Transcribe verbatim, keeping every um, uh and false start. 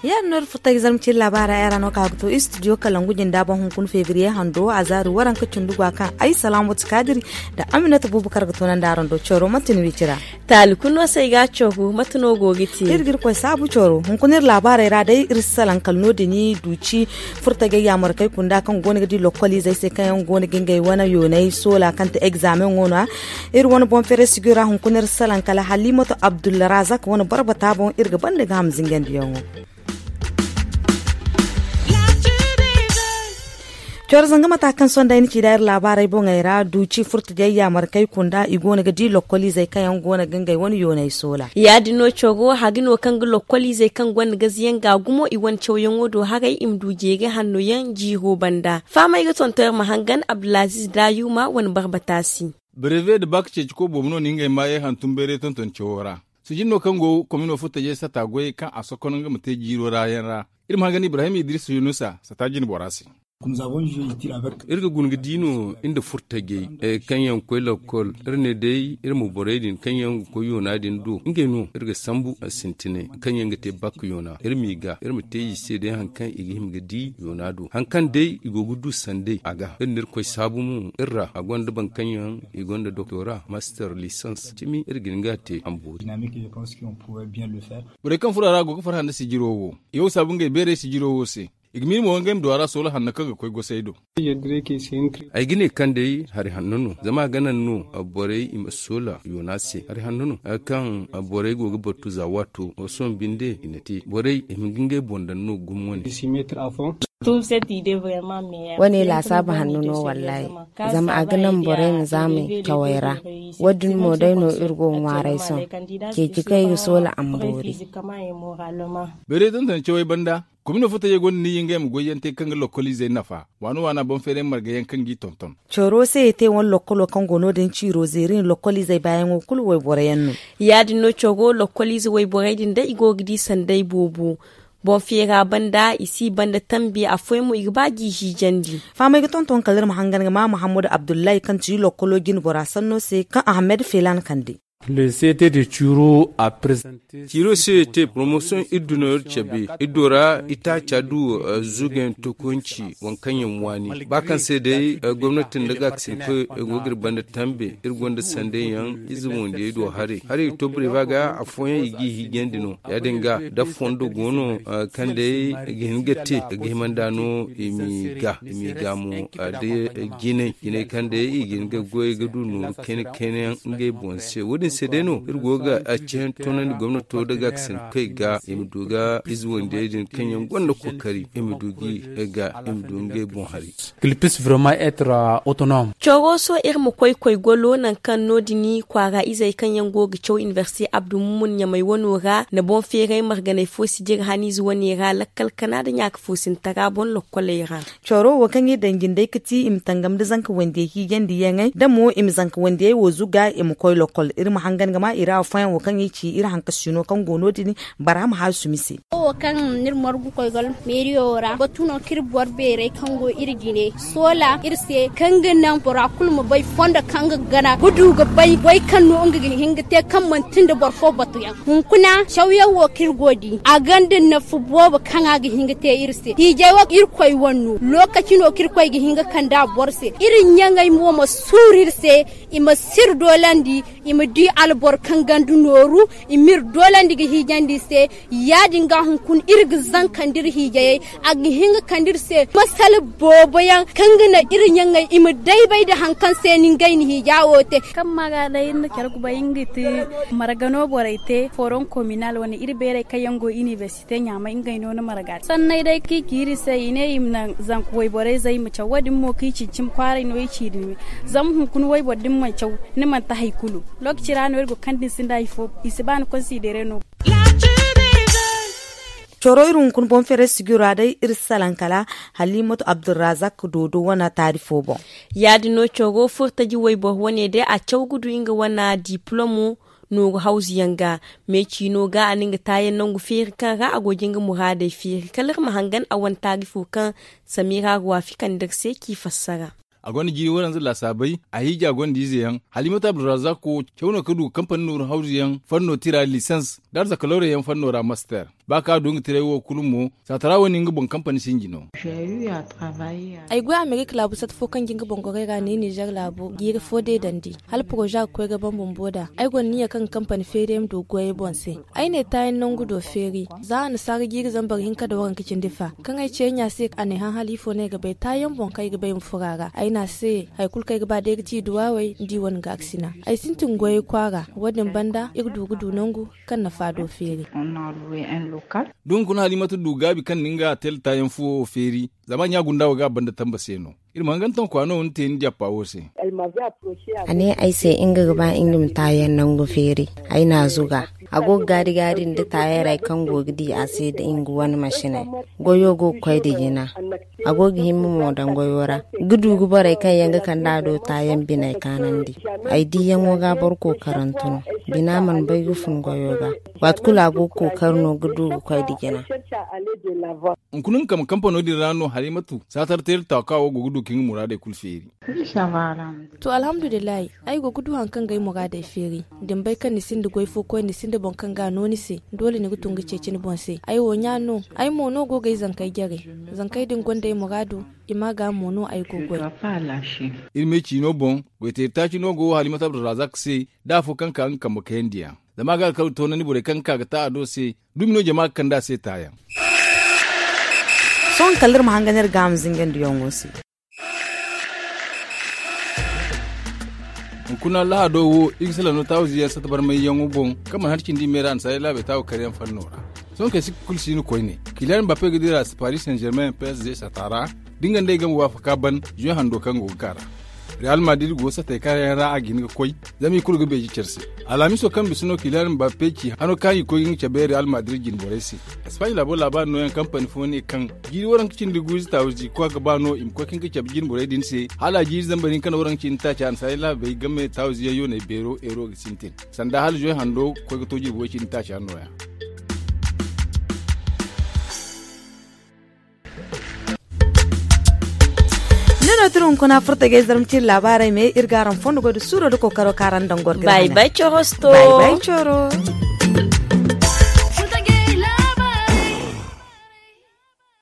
Yaadin no iri furta ga zarma ciri laabaara yaŋ ra no ka ga to istidiyo kalangu jinda boŋ hunkuna febriye hando a zaari waranka cindi gwa kaŋ ay salaamatu kaadiri nda aminata buubakar ga toonandi araŋ do coro manti ni wicira. Taali kulu no se ay ga a coro mate no go ga te iri ga iri koy saabu coro hunkuna iri laabaaray ra day iri si salaŋ kala no- din duuci furtajey yaamarkey kunda kaŋ go no ga di lokkol izey se kaŋ yaŋ go no ga ngey wane yoonay soola kaŋ ti egzaameŋo no- ya. Iri wane boŋ feeray sijira hunkuna iri si salaŋ kala haliimatu abdulrazak wane barbata boŋ iri ga banda ga ham zingandiyaŋo. Coro zanga mata kaŋ sohõ day ni ci da iri laabaarey boŋey ra duuci furtajey yaamarkey kunda i go no ga di lokkol izey kaŋ yaŋ go no ga ngey wane yoonay soola. Ya- din no coro haga no kaŋ ga lokkol izey kaŋ gonda gaziyaŋ ga gumo i wane cawyaŋo do haray i ma du jeeri hanno yaŋ jiiro banda fahamey ga tonton iri ma hangan abdulaziz daayuma wane barbata se. Breve nda bak ceeci koy boobo no na ngey maayey hantum bayray tonton cawo ra. Sijin no kaŋ go komino furtajey sata goyey kaŋ a sokono nga ma te jiiro ra yaŋ ra. Iri ma hangan ibrahim idris yunusa sata jine bora se. Iri ga guna ga di no nda furtajey kaŋ yaŋ ga koy lokkol iri ne day iri ma borey din kaŋ yaŋ ga koy yoona din do ngey no iri ga sambu sintinay kaŋ yaŋ ga te bak yoona iri m'i ga iri ma te i se day hari kaŋ i ga hima ga di yoona do hari kaŋ day i go ga du sanday a ga iri na iri koy saabu mo iri ra a gonda boro kaŋ yaŋ i gonda doktora master lisans cimi iri ga hin ga a te a ma boori. Borey kaŋ furo a ra go ga farhã nda sijiro wo i wo saabu ngey beeray sijiro wo se. I ga miiri mo ngey ma du a ra soola hanno kaŋ ga koy gosey do. Ay ga ne kaŋ day hari hanno no zama a ga naŋ no borey i ma soola yoona se hari hanno no kaŋ borey go ga battu za waato sohõ binde i na te borey i ma ga ngey boŋ daŋ no gumo wane. Wane laasaabu hanno no wallaahi. Zama a ga naŋ borey ma zaamay cawey ra. Wo- din mo day no iri go ga ŋwaaray sohõ. Ceeci kaŋ ay ga soola a ma boori. Beeray tonton cawey banda komino furtajey gonda ni yingay ma goyyaŋ te kaŋ ga lokkoliizey nafa waana waana boŋ feeray marga yaŋ kaŋ g'i tonton. Coro se i te wane lokkolo kaŋ go no- din ciiro zeeri na lokkoliizey baayaŋo kulu wayboro yaŋ no. Ya- din no coro lokkoliize wayborey din day i go ga di sanday boobo. Boŋ feera banda i si banda tambi afooyaŋ mo i ga ba g'i hiijandi. Fahamey ga tonton kala iri ma hangan ga ma muhammadu abdullahi kaŋ ti lokkolo jinbora sanno se kaŋ ahamed feelaana kande. Ciiro se te promotion iri du no iri cabe iri do ra itaaca du zugayaŋ tokonci waŋ kaŋ yaŋ waani ba kaŋ se day gomnati nda gaakasinkoy go ga iri banda tambe iri gonda sanday yaŋ ize wandiyey do haray haray ga to bire ba ga afooyaŋ i g'i hiijandi no ya- din ga da fondo go no kaŋ day ga hin ga te ga himanda no i m'i ga i m'i ga mo da jinay jinay kaŋ day i ga hin ga goy ga du nooru kayna kayna yaŋ ngey boŋ se wo- din se day no iri go ga ceeyaŋ toonandi gomnato da gaakasinkoy ga i ma du ga ize wandiyey din kaŋ yaŋ gonda kookari i ma du g'i ga i ma du ngey boŋ hari. Cawooso iri ma koy koy golo nangu kaŋ no- din kwaara izey kaŋ yaŋ go ga caw inibersite abdu mumun ɲamay wano ra nda boŋ feeray marganay fo si jire haniize wane ra lakkal kana nda ɲaaka fo sintara boŋ lokkoley ra. Cawro wo kaŋ iri daŋ jindey ga ti i ma tangam nda zanka wandiyey hiijandiyaŋey da mo i ma zanka wandiyey wo zuga i ma koy lokkol iri ma hangan ga ma i ra afooyaŋ wo kaŋ i ci iri hankasino kaŋ go no- din. Barham haasumi se. Wo kaŋ n'iri margu koy gol meeriyo wo ra batu no k'iri boro beerey kaŋ go iri jine soola iri se kaŋ ga naŋ bora kulu ma bay fondo kaŋ ga gana ga du ga bay goy kaŋ no nga ga hin ga te kaŋ manti nda boro fo batuyaŋ. Hunkuna cawyaŋ wo k'iri go di a gonda nafu boobo kaŋ a ga hin ga te iri se hiijay wo irkoy wane no lookaci no k'iri koy ga hin ga kande a boro se iri ɲaŋey mo ma suuru iri se. I ma si iri doolandi i ma di alboro kaŋ ganda nooru i m'iri doolandi ga hiijandi se. Ya- din ga hunkuna iri ga zankandi iri hiijayey a ga hin ga kande iri se masala boobo yaŋ kaŋ ga naŋ iri ɲaŋey i ma daybay nda hari kaŋ se no ngey na hiija wo te. Kaŋ ma ga day iri na care kubay nga ti margano borey te foron kominal wane iri beerey kaŋ yaŋ go inibersite ɲaamay ngey no ni marga te sanney day kaŋ i ci iri se i ne i ma naŋ zanka wayborey zey ma caw wo- din mo kaŋ i ci cimi kwaaray no i ci din me. Zama hunkuna wayboro da ni mana caw ni mana te hari kulu. Lookaci ra no iri go kaŋ da ni sinda hari fo i si ba ni konsidere no. Coro iri hunkuna boŋ feeray sijiro ra day iri si salaŋ kala halimatu abdulrazak doodo wane taari fo boŋ. Ya- din no coro furtaji wayboro wane day a caw ga du nga wane diplom. nooru hawzu yaŋ ga. Me ciino ga a na nga taayaŋ nangu feeri kaŋ ra a go ga nga muraadey feeri kala iri ma hangan a wane taarifo kaŋ samira ruwafi kande iri se k'i fassara. A gonda jiiri waranza laasaabey, a hiija gonda ize yaŋ. Halimatu abdurrazak wo caw no ka du kampani nooru hawzu yaŋ fanno tira lisans da arzaka lawra yaŋ fanno ra master. Ba kaŋ a du nga tiray wo kulu mo, saatara wo ni nga boŋ kampani sinji no. Ay goy amerika laabu sata fo kaŋ ga nga boŋ gorey ra ne nizer laabu jiiri fo deedandi hala poroza ga koy ga ban bumbo nd'a. Ay gonda niya kaŋ ga kampani feeri ay ma du goyey boŋ se. Ay ne taayaŋ nangu do feeri za annasaara jiiri zambar hinka nda waranka cindi fa kaŋ ay ce ay ɲa se a ne hã hala ifo no ay ga bay taayaŋ boŋ kaŋ ay ga bay ma furo a ra ay ne a se hari kulu kaŋ ay ga ba day ga ti duwawey nda i wane gaarisina. Ay sintin goyey kwaara wo- din banda iri du ga du nangu kaŋ nafa do feeri. Da hunkuna halimatu du gaabi kaŋ na nga tela taayaŋ fuwo feeri zama ɲa gunda wo ga a banda tamba se no. Iri ma hangantaŋ kwaano wo ni te ni jappa wo se. A ne ay se nga ga ba nga ma taayaŋ nangu feeri. Ay n'a zuga a go ga gaari gaari nda taayarey kaŋ go ga di a se nda nga wane masiney. Goyo go ga koy nda jina. A go ga himma mo daŋ goyo ra ga du ga borey kaŋ yaŋ ga kande a do taayaŋ biney kaanandi. Ay diyaŋo ga boro kookarantu no. Bina mana bay ga fun goyo ga. Waati kulu a go ga kookari no ga du ga koy nda jina. Hunkuna nga kambe kampano din ra no halimatu saatar teeri taaka wo go ga du ka nga muraadey kulu feeri. To alhamdulillahi. Ay go ga du hari kaŋ ga ay muraadey feeri. Da ni bay kaŋ ni sinda goy fo koy ni sinda boŋ kaŋ ga a no ni se doole ni ga tun ga ceeci ni boŋ se. Ay wo ɲa no. Ay mo no go ga ay zankey jare. Zankey din gonda ay muraadu. I ma ga mo no ay go goy. Iri me ciino boŋ goyteeri taaci no go halimatu abdurrazak se da afo kaŋ ka nga kambe kayandi yaŋ. Zama a ga alkawli toonandi borey kaŋ ga ka ga ta a do se. Dumi no jama ga kande a se taayaŋ. Sohõ kala iri ma hangan iri ga a ma zingandiyaŋo se. Hunkuna lahado wo iri ga salaŋ no taawiziyaŋ sata barmayyaŋo boŋ kaŋ mana hari cindi me ra annasaarey laabey taawu karyaŋ fanno ra. Sohõ kay sikka kulu si no koyne. Kiliyan mbappe ga dira paris saint germain psg sata ra. Da nga nd'ey game waafaka ban zuwe hando kaŋ go ga ka ra. Real madrid go satey karyaŋ ra a ga hin ga koy. Zama i kulu ga beeji care se. Alhamiso kaŋ bisa no kiliyan mbappe ci hano kaŋ i koy ga nga cabe real madrid jinborey se. Espagne laabo laabaari nooyaŋ kampani fo ne kaŋ jiiri waranka cindi guuzi taawizi kwa ga ba no i ma koy kaŋ ga cabe jinborey din se hala a jiiri zambar hinka nda waranka cindi taaca annasaarey laabey game taawiziyaŋ yooney beero eero ga sintin. Sanda hala zuwe hando koy ga to jirbi way cindi taaca nooya. Ni no tira hunkuna furta ga ay zarma ciri laabaarey me iri ga araŋ fondo goy da suuro da kookaro kaŋ araŋ daŋ gorgay. Bay bay coro.